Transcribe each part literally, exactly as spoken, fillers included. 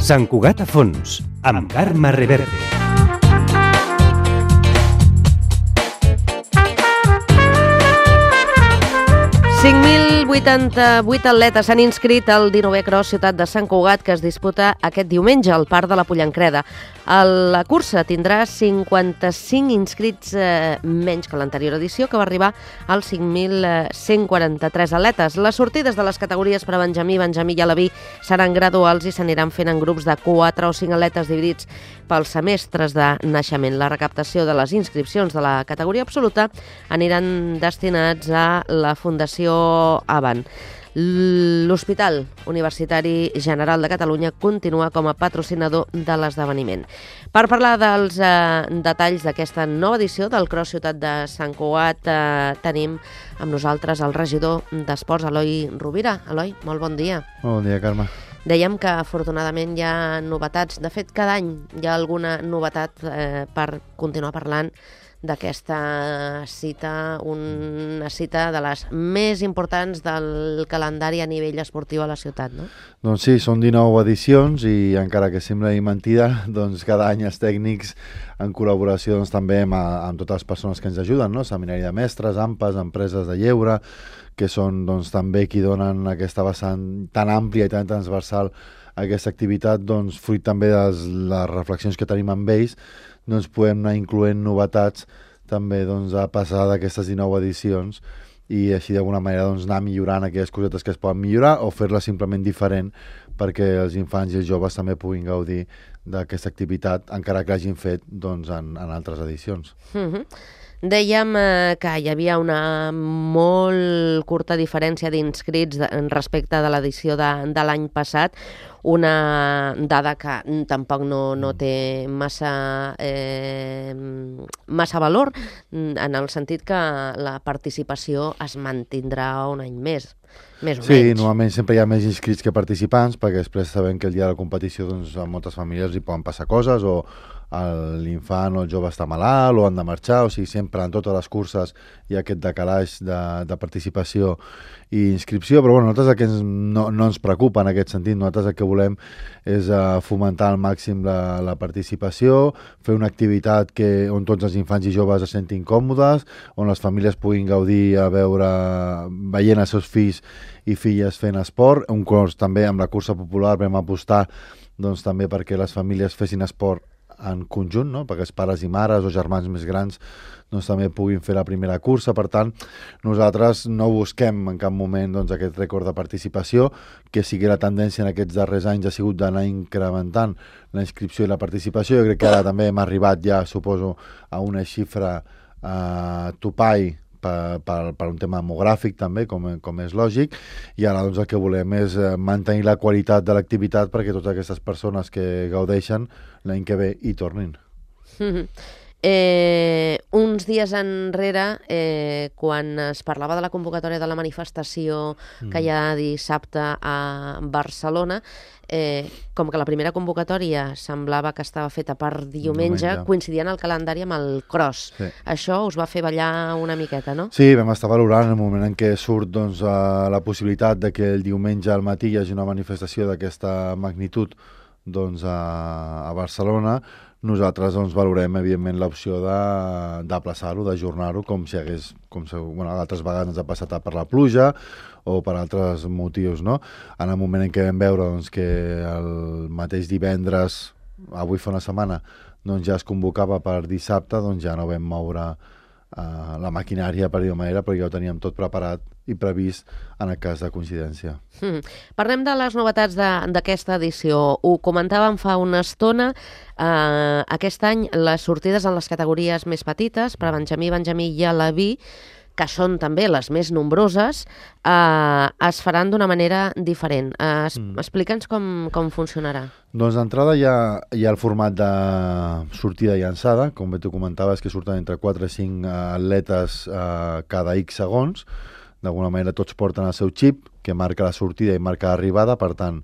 Sant Cugat a fons, amb Carme Reverte. cinc mil vuitanta-vuit atletes s'han inscrit al dinovè Cross Ciutat de Sant Cugat, que es disputa aquest diumenge al Parc de la Pollancreda. La cursa tindrà cinquanta-cinc inscrits eh, menys que l'anterior edició, que va arribar als cinc mil cent quaranta-tres atletes. Les sortides de les categories per a Benjamí, Benjamí i Alaví seran graduals i s'aniran fent en grups de quatre o cinc atletes dividits pels semestres de naixement. La recaptació de les inscripcions de la categoria absoluta aniran destinats a la Fundació Avant. L'Hospital Universitari General de Catalunya continua com a patrocinador de l'esdeveniment. Per parlar dels eh, detalls d'aquesta nova edició del Cross Ciutat de Sant Cugat, eh, tenim amb nosaltres el regidor d'Esports, Eloi Rovira. Eloi, molt bon dia. Bon dia, Carme. Dèiem que afortunadament hi ha novetats. De fet, cada any hi ha alguna novetat eh, per continuar parlant d'aquesta cita, una cita de les més importants del calendari a nivell esportiu a la ciutat, no? Doncs sí, són dinou edicions i encara que sembli mentida, doncs cada any els tècnics, en col·laboració doncs, també amb, amb totes les persones que ens ajuden, no? Seminari de mestres, A M P A S, empreses de lleure, que són doncs, també qui donen aquesta vessant tan àmplia i tan transversal a aquesta activitat, doncs, fruit també de les reflexions que tenim amb ells, doncs podem anar incloent novetats també doncs, a passar d'aquestes dinou edicions i així d'alguna manera doncs, anar millorant aquelles cosetes que es poden millorar o fer-les simplement diferent perquè els infants i els joves també puguin gaudir d'aquesta activitat encara que l'hagin fet doncs, en, en altres edicions. Mm-hmm. Dèiem eh, que hi havia una molt curta diferència d'inscrits respecte de l'edició de, de l'any passat, una dada que tampoc no, no té massa, eh, massa valor, en el sentit que la participació es mantindrà un any més, més o sí, menys. Sí, normalment sempre hi ha més inscrits que participants, perquè després sabem que el dia de la competició doncs, a moltes famílies hi poden passar coses, o l'infant o el jove està malalt o han de marxar, o sigui, sempre en totes les curses hi ha aquest decalaix de, de participació i inscripció, però bueno, nosaltres el que ens, no, no ens preocupa en aquest sentit, nosaltres el que volem és uh, fomentar al màxim la, la participació, fer una activitat que, on tots els infants i joves es sentin còmodes, on les famílies puguin gaudir a veure, veient els seus fills i filles fent esport, un curs també amb la cursa popular vam apostar doncs, també perquè les famílies fessin esport en conjunt, no? Perquè els pares i mares o germans més grans doncs, també puguin fer la primera cursa. Per tant, nosaltres no busquem en cap moment doncs, aquest rècord de participació, que sigui la tendència en aquests darrers anys ha sigut d'anar incrementant la inscripció i la participació. Jo crec que ara també hem arribat ja, suposo, a una xifra eh, topall Per, per, per un tema demogràfic també, com, com és lògic, i ara doncs, el que volem és mantenir la qualitat de l'activitat perquè totes aquestes persones que gaudeixen l'any que ve hi tornin. Mm-hmm. Eh, uns dies enrere, eh, quan es parlava de la convocatòria de la manifestació mm. que hi ha dissabte a Barcelona, eh, com que la primera convocatòria semblava que estava feta per diumenge, diumenge. coincidien el calendari amb el cross. Sí. Això us va fer ballar una miqueta, no? Sí, vam estar valorant el moment en què surt doncs, la possibilitat de que el diumenge al matí hi hagi una manifestació d'aquesta magnitud doncs, a, a Barcelona. Nosaltres doncs, valorem, evidentment, l'opció d'aplaçar-ho, d'ajornar-ho, com si hagués, com si, bueno, altres vegades ens ha passat per la pluja o per altres motius, no? En el moment en què vam veure doncs, que el mateix divendres, avui fa una setmana, doncs, ja es convocava per dissabte, doncs ja no vam moure uh, la maquinària, per dir-ho manera, però ja ho teníem tot preparat i previst en el cas de coincidència. Mm. Parlem de les novetats d'aquesta edició. Ho comentàvem fa una estona. Eh, aquest any les sortides en les categories més petites, per a Benjamí, Benjamí i Alaví, que són també les més nombroses, eh, es faran d'una manera diferent. Eh, mm. Explica'ns com, com funcionarà. Doncs d'entrada hi, hi ha el format de sortida i llançada, com bé tu comentaves, que surten entre quatre i cinc atletes eh, cada X segons. D'alguna manera tots porten el seu xip, que marca la sortida i marca l'arribada, per tant,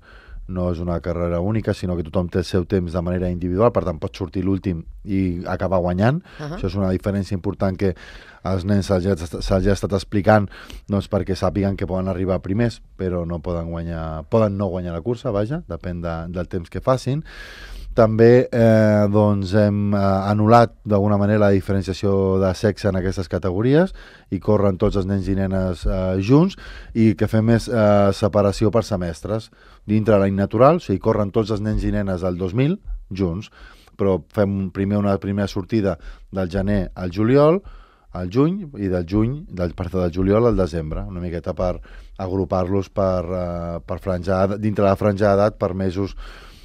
no és una carrera única, sinó que tothom té el seu temps de manera individual, per tant pot sortir l'últim i acabar guanyant. Uh-huh. Això és una diferència important que als nens se'ls ha, se'ls ha estat explicant, doncs, perquè sàpiguen que poden arribar primers, però no poden guanyar, poden no guanyar la cursa, vaja, depèn de, del temps que facin. També eh, doncs hem eh, anul·lat d'alguna manera la diferenciació de sexe en aquestes categories i corren tots els nens i nenes eh, junts, i que fem més eh, separació per semestres. Dintre l'any natural, o sigui, corren tots els nens i nenes del dos mil junts, però fem primer una primera sortida del gener al juliol, al juny, i del juny, del, perdó, del juliol al desembre, una miqueta per agrupar-los per, eh, per franja, dintre la franja d'edat per mesos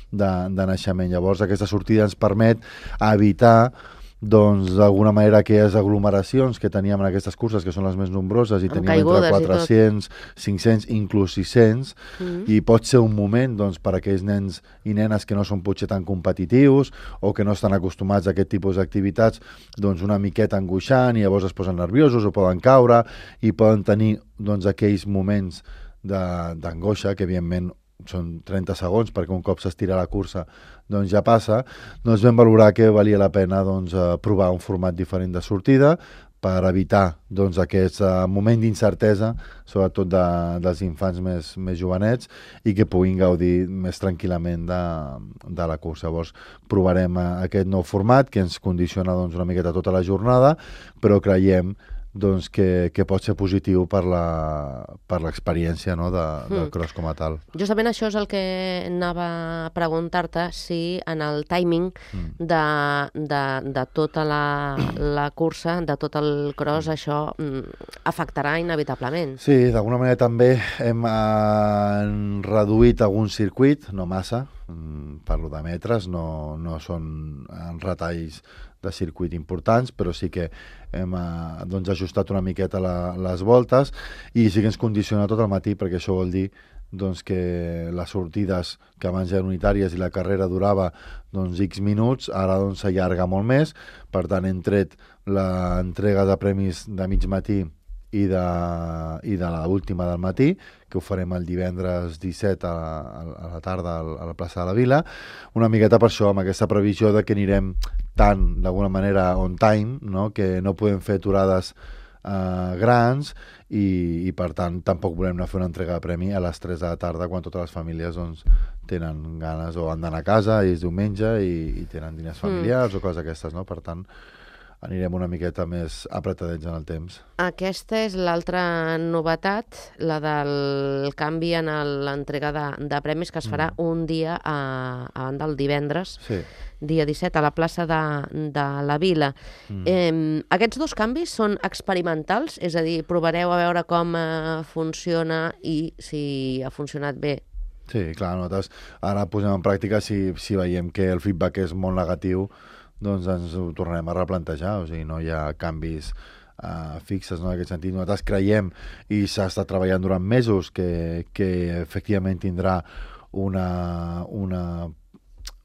De, de naixement. Llavors aquesta sortida ens permet evitar doncs d'alguna manera aquelles aglomeracions que teníem en aquestes curses, que són les més nombroses, i teníem entre quatre-cents, cinc-cents, inclús sis-cents, mm. i pot ser un moment doncs, per a aquells nens i nenes que no són potser tan competitius o que no estan acostumats a aquest tipus d'activitats, doncs una miqueta angoixant, i llavors es posen nerviosos o poden caure i poden tenir doncs, aquells moments d'angoixa que evidentment són trenta segons, perquè un cop s'estira la cursa doncs ja passa. Doncs vam valorar que valia la pena doncs, provar un format diferent de sortida per evitar doncs, aquest uh, moment d'incertesa, sobretot de, dels infants més, més jovenets, i que puguin gaudir més tranquil·lament de, de la cursa. Llavors provarem uh, aquest nou format que ens condiciona doncs, una miqueta tota la jornada, però creiem doncs, que, que pot ser positiu per la, per l'experiència, no, de, del mm. cross com a tal. Justament això és el que anava a preguntar-te, si en el timing mm. de, de, de tota la, la cursa, de tot el cross, mm. això mm, afectarà inevitablement. Sí, d'alguna manera també hem eh, reduït algun circuit, no massa, mm, parlo de metres, no, no són retalls de circuit importants, però sí que hem eh, doncs, ajustat una miqueta la, les voltes, i sí que ens condiciona tot el matí, perquè això vol dir doncs, que les sortides que abans eren unitàries i la carrera durava doncs, X minuts, ara doncs, s'allarga molt més. Per tant, hem tret l'entrega de premis de mig matí i de, i de l'última del matí, que ho farem el divendres disset a, a la tarda a la plaça de la Vila, una miqueta per això, amb aquesta previsió de que anirem tan, d'alguna manera, on time, no? Que no podem fer aturades eh, grans, i, i per tant tampoc volem anar a fer una entrega de premi a les tres de la tarda, quan totes les famílies doncs, tenen ganes o han d'anar a casa i és diumenge i, i tenen diners familiars mm. o coses aquestes, no? Per tant, anirem una miqueta més apretadets en el temps. Aquesta és l'altra novetat, la del canvi en l'entrega de, de premis, que es farà mm. un dia a, a banda del divendres, sí. dia disset, a la plaça de, de la Vila. Mm. Eh, aquests dos canvis són experimentals? És a dir, provareu a veure com eh, funciona i si ha funcionat bé? Sí, clar, nosaltres ara posem en pràctica, si, si veiem que el feedback és molt negatiu, doncs ens ho tornarem a replantejar, o sigui, no hi ha canvis uh, fixes, no, en aquest sentit. Nosaltres creiem, i s'ha estat treballant durant mesos, que, que efectivament tindrà una, una,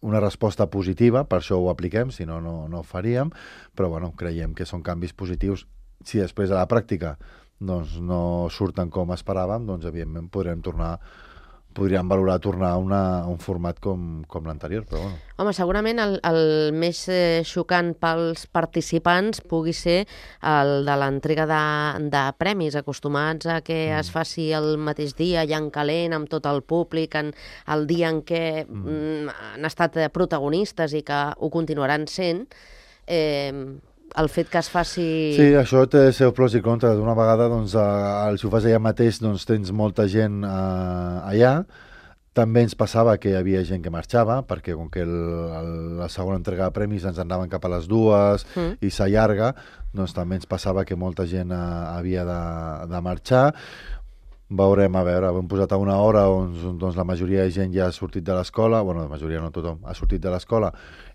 una resposta positiva, per això ho apliquem, si no, no, no ho faríem, però bueno, creiem que són canvis positius. Si després a la pràctica doncs, no surten com esperàvem, doncs evidentment podrem tornar podríem valorar tornar a, una, a un format com, com l'anterior, però bueno. Home, segurament el, el més eh, xocant pels participants pugui ser el de l'entrega de, de premis, acostumats a que mm. es faci el mateix dia, allà en calent, amb tot el públic, en el dia en què mm. han estat protagonistes i que ho continuaran sent. Eh, el fet que es faci... Sí, això té els seus pros i contres. D'una vegada, doncs, eh, si ho fas allà mateix, doncs tens molta gent eh, allà. També ens passava que hi havia gent que marxava, perquè com que el, el, la segona entrega de premis ens anaven cap a les dues mm. i s'allarga, doncs també ens passava que molta gent eh, havia de, de marxar. Veurem, a veure, hem posat a una hora on doncs, la majoria de gent ja ha sortit de l'escola, bueno, la majoria no tothom, ha sortit de l'escola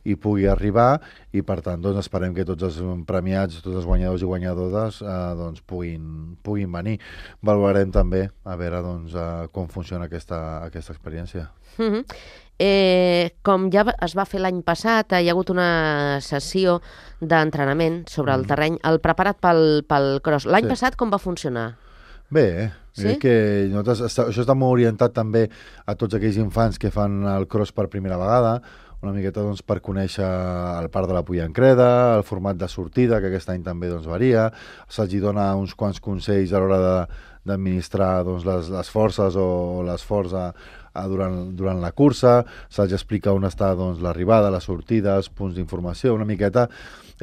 i pugui arribar, i per tant doncs, esperem que tots els premiats, tots els guanyadors i guanyadores eh, doncs, puguin, puguin venir. Valorarem també a veure doncs, eh, com funciona aquesta, aquesta experiència. Mm-hmm. Eh, com ja es va fer l'any passat, hi ha hagut una sessió d'entrenament sobre el terreny, el preparat pel, pel cross. L'any sí. passat com va funcionar? Bé, Sí? Que nosaltres, això està molt orientat també a tots aquells infants que fan el cross per primera vegada, una miqueta doncs, per conèixer el parc de la Pullancreda, el format de sortida, que aquest any també doncs, varia, se'ls dona uns quants consells a l'hora de, d'administrar doncs, les, les forces o l'esforç a, a durant, durant la cursa, se'ls explica on està doncs, l'arribada, la sortida, els punts d'informació, una miqueta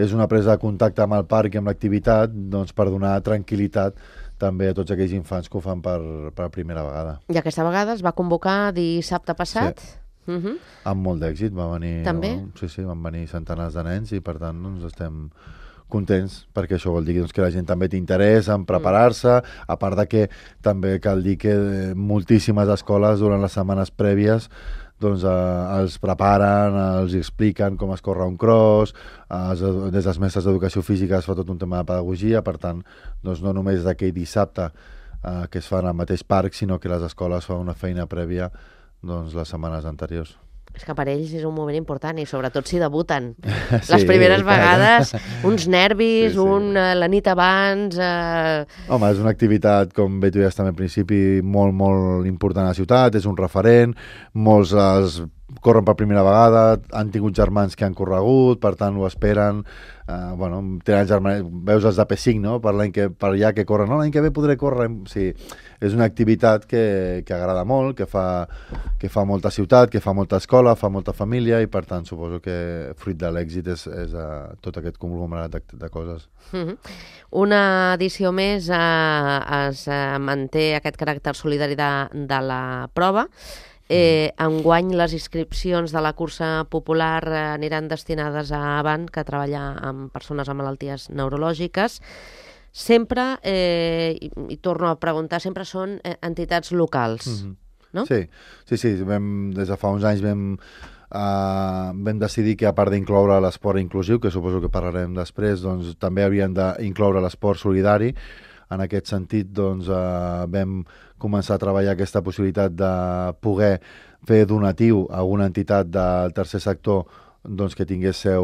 és una presa de contacte amb el parc i amb l'activitat doncs, per donar tranquil·litat també a tots aquells infants que ho fan per, per primera vegada. I aquesta vegada es va convocar dissabte passat? Sí. Uh -huh. Amb molt d'èxit, va venir... També? No? Sí, sí, van venir centenars de nens i per tant doncs, estem contents, perquè això vol dir doncs, que la gent també té interès en preparar-se, a part de que també cal dir que moltíssimes escoles durant les setmanes prèvies doncs eh, els preparen, els expliquen com es corre un cross, eh, des dels mestres d'educació física es fa tot un tema de pedagogia, per tant, doncs no només d'aquell dissabte eh, que es fa en el mateix parc, sinó que les escoles fan una feina prèvia doncs, les setmanes anteriors. És que per ells és un moment important i sobretot si debuten. Sí, les primeres clar. vegades, uns nervis, Sí, sí. un, uh, la nit abans... Uh... Home, és una activitat, com bé tu ja també al principi, molt, molt important a la ciutat, és un referent, molts es corren per primera vegada, han tingut germans que han corregut, per tant ho esperen, uh, bueno, tenen germans, veus els de P cinc, no?, per l'any que, per allà que corren, no, l'any que ve podré córrer, sí, és una activitat que, que agrada molt, que fa, que fa molta ciutat, que fa molta escola, fa molta família i per tant suposo que fruit de l'èxit és, és uh, tot aquest conglomerat de, de coses. Uh-huh. Una edició més uh, es uh, manté aquest caràcter solidari de, de la prova. Eh, enguany les inscripcions de la cursa popular eh, aniran destinades a Avant, que treballa amb persones amb malalties neurològiques. Sempre, eh, i, i torno a preguntar, sempre són eh, entitats locals, Mm-hmm. no? Sí, sí, sí. Vam, des de fa uns anys vam, uh, vam decidir que a part d'incloure l'esport inclusiu, que suposo que parlarem després, doncs també havien d'incloure l'esport solidari. En aquest sentit, doncs, uh, vam començar a treballar aquesta possibilitat de poder fer donatiu a una entitat del tercer sector doncs, que tingués seu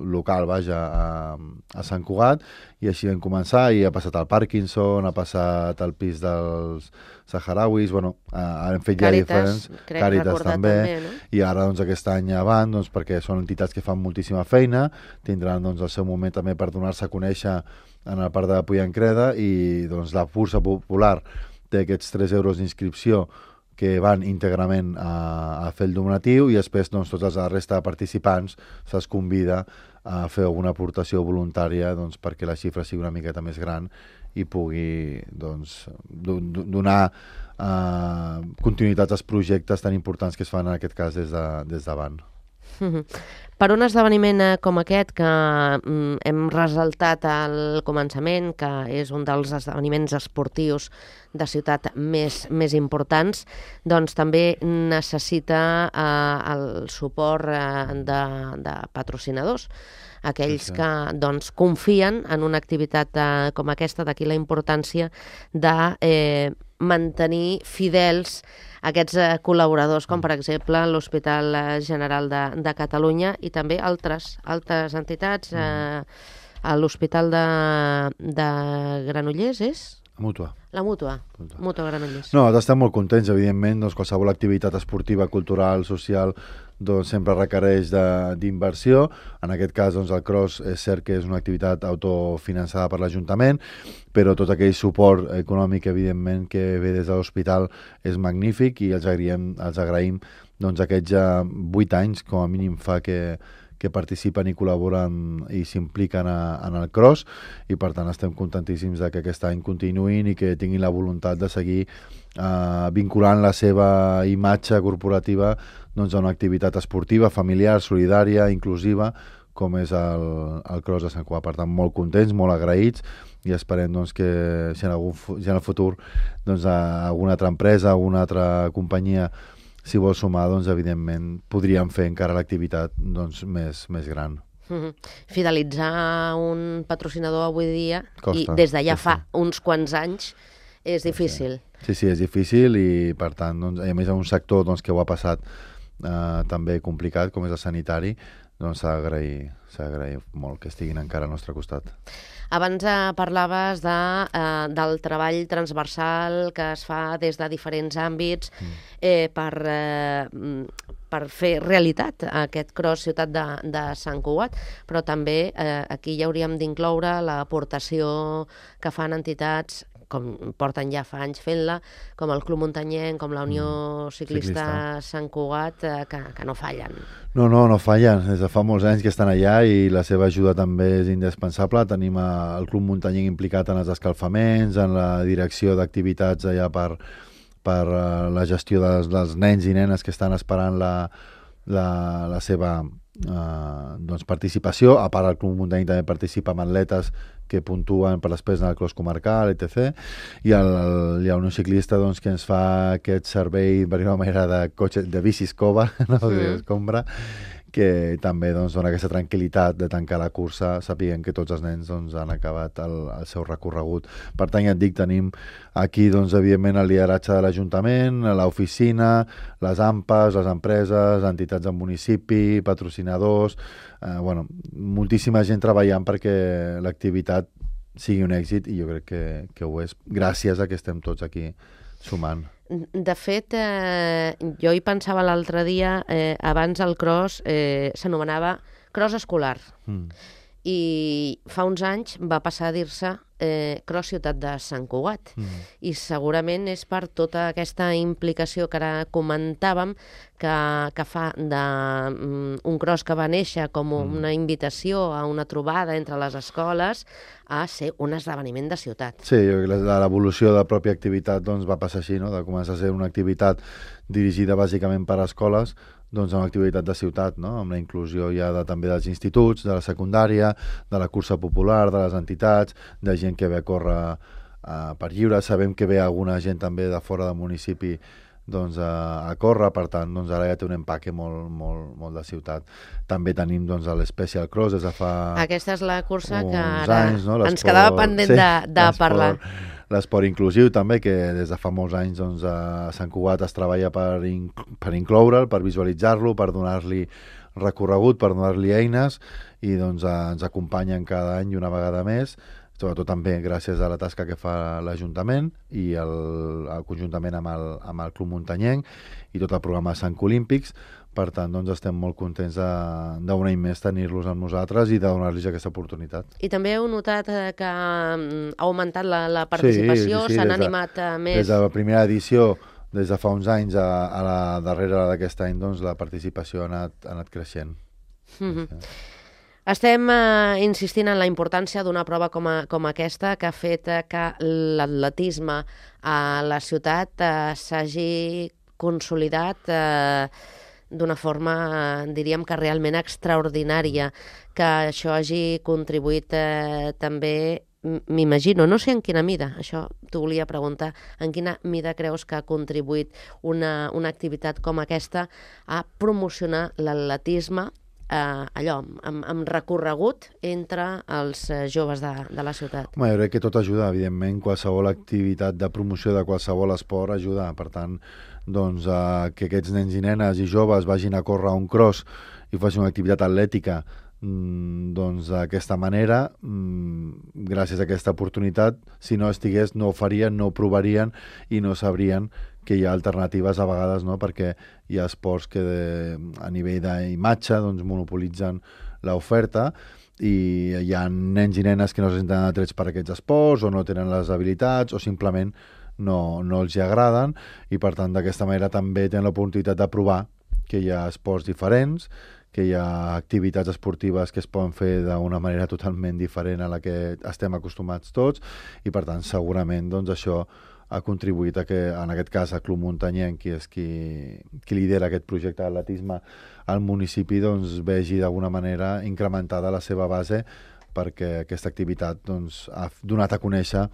local, vaja, a, a Sant Cugat, i així vam començar, i ha passat al Parkinson, ha passat al pis dels saharauis, bueno, uh, hem fet Càritas, ja diferents, crec Càritas recordar també, també, no? i ara doncs aquest any avant, doncs, perquè són entitats que fan moltíssima feina, tindran doncs, el seu moment també per donar-se a conèixer en el parc de la Pullancreda, i doncs, la cursa popular té aquests tres euros d'inscripció que van íntegrament a, a fer el donatiu, i després doncs, tota la resta de participants se'ls convida a fer alguna aportació voluntària doncs, perquè la xifra sigui una miqueta més gran i pugui doncs, do, do, donar uh, continuïtat als projectes tan importants que es fan en aquest cas des de, des d'Avant. Mm-hmm. Per un esdeveniment eh, com aquest, que mm, hem ressaltat al començament, que és un dels esdeveniments esportius de ciutat més, més importants, doncs també necessita eh, el suport eh, de, de patrocinadors, aquells Sí, sí. que doncs, confien en una activitat eh, com aquesta, d'aquí la importància de eh, mantenir fidels aquests eh, col·laboradors, com per exemple l'Hospital eh, General de, de Catalunya i també altres, altres entitats, eh, a l'Hospital de, de Granollers, és? Mútua. La Mútua, Mútua. Mútua Granollers. No, estem molt contents, evidentment, doncs qualsevol activitat esportiva, cultural, social, doncs sempre requereix de- d'inversió. En aquest cas, doncs, el cross és cert que és una activitat autofinançada per l'Ajuntament, però tot aquell suport econòmic, evidentment, que ve des de l'hospital és magnífic, i els agraïm, els agraïm doncs, aquests ja vuit anys, com a mínim fa que, que participen i col·laboren i s'impliquen a- en el cross, i per tant estem contentíssims de que aquest any continuïn i que tinguin la voluntat de seguir eh, vinculant la seva imatge corporativa doncs, a una activitat esportiva, familiar, solidària, inclusiva, com és el, el cross de Sant Cugat. Per tant, molt contents, molt agraïts, i esperem doncs, que si en, algun, fu- si en el futur doncs, a alguna altra empresa, alguna altra companyia si vol sumar, doncs, evidentment, podríem fer encara l'activitat doncs, més, més gran. Mm-hmm. Fidelitzar un patrocinador avui dia, Costa, i des de ja costa. fa uns quants anys, és difícil. Sí, sí, és difícil, i per tant, doncs, a més en un sector doncs, que ho ha passat eh, també complicat, com és el sanitari, doncs s'ha d'agrair, s'ha d'agrair molt que estiguin encara al nostre costat. Abans eh, parlaves de, eh, del treball transversal que es fa des de diferents àmbits eh, per, eh, per fer realitat aquest cross Ciutat de, de Sant Cugat, però també eh, aquí ja hauríem d'incloure l'aportació que fan entitats com porten ja fa anys fent-la, com el Club Muntanyenc, com la Unió mm, Ciclista, Ciclista Sant Cugat, eh, que, que no fallen. No, no, no fallen. Des de fa molts anys que estan allà i la seva ajuda també és indispensable. Tenim a, el Club Muntanyenc implicat en els escalfaments, en la direcció d'activitats allà per, per uh, la gestió dels, dels nens i nenes que estan esperant la, la, la seva uh, doncs participació. A part, el Club Muntanyenc també participa amb atletes que puntuen per després en el cross comarcal, etcètera. I el, el, hi ha un ciclista doncs, que ens fa aquest servei, per una manera, de, cotxe, de bici escova, no? Sí. Escombra, que també doncs, dona aquesta tranquil·litat de tancar la cursa, sapiguem que tots els nens doncs, han acabat el, el seu recorregut. Per tant, ja et dic, tenim aquí, doncs, evidentment, el lideratge de l'Ajuntament, l'oficina, les A M P As, les empreses, entitats del municipi, patrocinadors, eh, bueno, moltíssima gent treballant perquè l'activitat sigui un èxit i jo crec que, que ho és, gràcies a que estem tots aquí sumant. De fet, eh, jo hi pensava l'altre dia, eh, abans el cross eh, s'anomenava cross escolar. Mm. I fa uns anys va passar a dir-se eh, cross Ciutat de Sant Cugat. Mm. I segurament és per tota aquesta implicació que ara comentàvem que, que fa de um, un cross que va néixer com una invitació a una trobada entre les escoles a ser un esdeveniment de ciutat. Sí, l'evolució de la pròpia activitat doncs, va passar així, no? De començar a ser una activitat dirigida bàsicament per a escoles, doncs una activitat de ciutat, no? Amb la inclusió ja de, també dels instituts, de la secundària, de la cursa popular, de les entitats, de gent que ve a córrer uh, per lliure. Sabem que ve alguna gent també de fora del municipi doncs, a, a córrer, per tant, doncs, ara ja té un empaque molt, molt, molt de ciutat. També tenim doncs, l'Special Cross des de fa Aquesta és la cursa que ara anys, no? ens quedava pendent sí, de, de parlar. L'esport inclusiu també, que des de fa molts anys doncs, a Sant Cugat es treballa per, inc per incloure'l, per visualitzar-lo, per donar-li recorregut, per donar-li eines i doncs, a, ens acompanyen cada any una vegada més, sobretot també gràcies a la tasca que fa l'Ajuntament i el, el conjuntament amb el, amb el Club Muntanyenc i tot el programa Sant Olímpics. Per tant, doncs, estem molt contents d'un any més tenir-los amb nosaltres i de donar-los aquesta oportunitat. I també heu notat eh, que ha augmentat la, la participació, s'han sí, sí, sí, animat de, més... Des de la primera edició, des de fa uns anys a, a la darrera d'aquest any, doncs, la participació ha anat, ha anat creixent. Mm-hmm. Sí. Estem eh, insistint en la importància d'una prova com, a, com aquesta que ha fet eh, que l'atletisme a la ciutat eh, s'hagi consolidat eh, d'una forma, eh, diríem que realment extraordinària, que això hagi contribuït eh, també, m'imagino, no sé en quina mida, això t'ho volia preguntar, en quina mida creus que ha contribuït una, una activitat com aquesta a promocionar l'atletisme Uh, allò, amb, amb recorregut entre els uh, joves de, de la ciutat? Home, jo crec que tot ajuda, evidentment, qualsevol activitat de promoció de qualsevol esport ajuda, per tant, doncs, uh, que aquests nens i nenes i joves vagin a córrer un cross i facin una activitat atlètica mm, doncs d'aquesta manera, mm, gràcies a aquesta oportunitat, si no estigués no ho farien, no ho provarien i no sabrien que hi ha alternatives a vegades, no? Perquè hi ha esports que de, a nivell d'imatge doncs, monopolitzen l'oferta i hi ha nens i nenes que no se senten atrets per aquests esports o no tenen les habilitats o simplement no, no els hi agraden i per tant d'aquesta manera també tenen l'oportunitat de provar que hi ha esports diferents, que hi ha activitats esportives que es poden fer d'una manera totalment diferent a la que estem acostumats tots i per tant segurament doncs, això ha contribuït a que, en aquest cas, el Club Muntanyenc, qui és qui, qui lidera aquest projecte d'atletisme al municipi, doncs vegi d'alguna manera incrementada la seva base perquè aquesta activitat doncs, ha donat a conèixer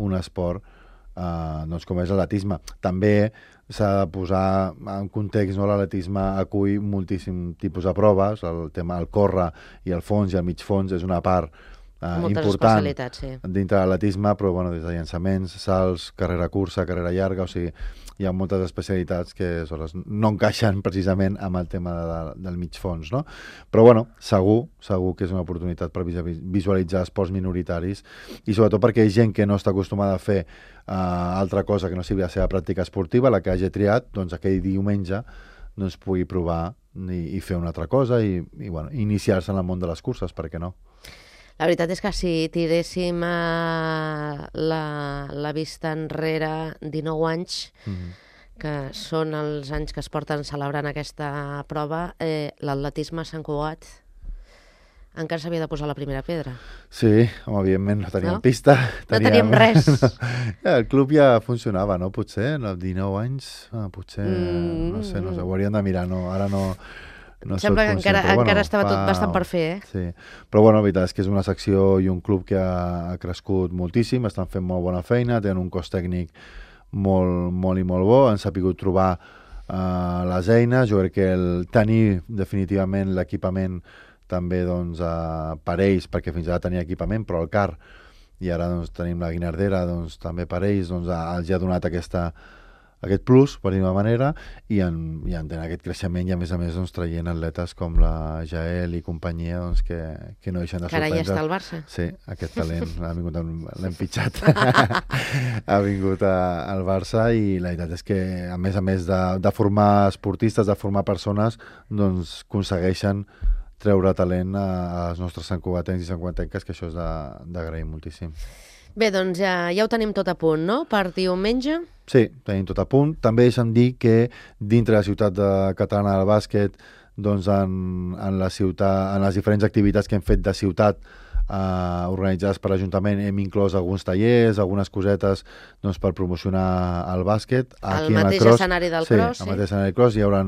un esport eh, doncs, com és l'atletisme. També s'ha de posar en context, no? L'atletisme acull moltíssim tipus de proves, el tema del córrer i el fons i el mig fons és una part uh, Moltes important especialitats, sí. dintre de l'atletisme, però bueno, des de llançaments, salts, carrera curta, carrera llarga, o sigui, hi ha moltes especialitats que aleshores, no encaixen precisament amb el tema de, de, del mig fons, no? Però bueno, segur, segur que és una oportunitat per visualitzar esports minoritaris i sobretot perquè hi ha gent que no està acostumada a fer uh, altra cosa que no sigui la seva pràctica esportiva, la que hagi triat, doncs aquell diumenge doncs pugui provar i, i fer una altra cosa i, i bueno, iniciar-se en el món de les curses, per què no? La veritat és que si tiréssim uh, la, la vista enrere dinou anys, mm-hmm. que són els anys que es porten celebrant aquesta prova, eh, l'atletisme a Sant Cugat encara s'havia de posar la primera pedra. Sí, home, evidentment no teníem no? pista. No teníem, teníem res. No, ja, el club ja funcionava, no? Potser, en els dinou anys, ah, potser, mm. no sé, no sé, ho hauríem de mirar, no? Ara no... no Sembla que encara, però, encara bueno, estava fa... tot bastant per fer, eh? Sí, però bueno, la veritat és que és una secció i un club que ha, ha crescut moltíssim, estan fent molt bona feina, tenen un cos tècnic molt, molt i molt bo, han sapigut trobar uh, les eines, jo crec que el tenir definitivament l'equipament també doncs, uh, per ells, perquè fins ara tenia equipament, però el car, i ara doncs, tenim la guinardera, doncs, també per ells doncs, els ha donat aquesta, aquest plus, per dir-ho manera, i han, i han tenen aquest creixement i a més a més doncs, traient atletes com la Jael i companyia doncs, que, que no deixen de sorprendre. Que ara ja està al Barça. Sí, aquest talent ha vingut, l'hem pitjat, ha vingut a, al Barça i la veritat és que a més a més de, de formar esportistes, de formar persones, doncs aconsegueixen treure talent als nostres santcugatencs i santcugatenques, que això és d'agrair moltíssim. Bé, doncs ja, ja ho tenim tot a punt, no?, per diumenge? Sí, tenim tot a punt. També deixa'm dir que dintre de la ciutat de catalana del bàsquet, doncs en, en, la ciutat, en les diferents activitats que hem fet de ciutat Uh, organitzades per l'Ajuntament, hem inclòs alguns tallers, algunes cosetes doncs, per promocionar el bàsquet. Aquí el mateix cross, escenari del sí, cross, sí. El mateix escenari del cross, hi haurà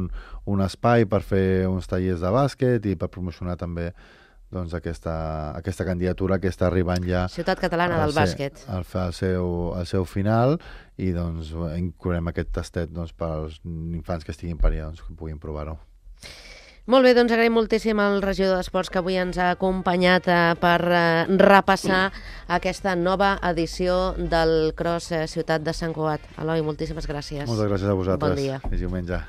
un espai per fer uns tallers de bàsquet i per promocionar també doncs, aquesta, aquesta candidatura que està arribant ja... Ciutat Catalana del ser, Bàsquet. Al, al, seu, al seu final i doncs inclourem aquest tastet doncs, per als infants que estiguin per allà doncs, que puguin provar-ho. Molt bé, doncs agraïm moltíssim al regidor d'Esports que avui ens ha acompanyat eh, per eh, repassar aquesta nova edició del Cross eh, Ciutat de Sant Cugat. Eloi, moltíssimes gràcies. Moltes gràcies a vosaltres. Bon dia. És diumenge.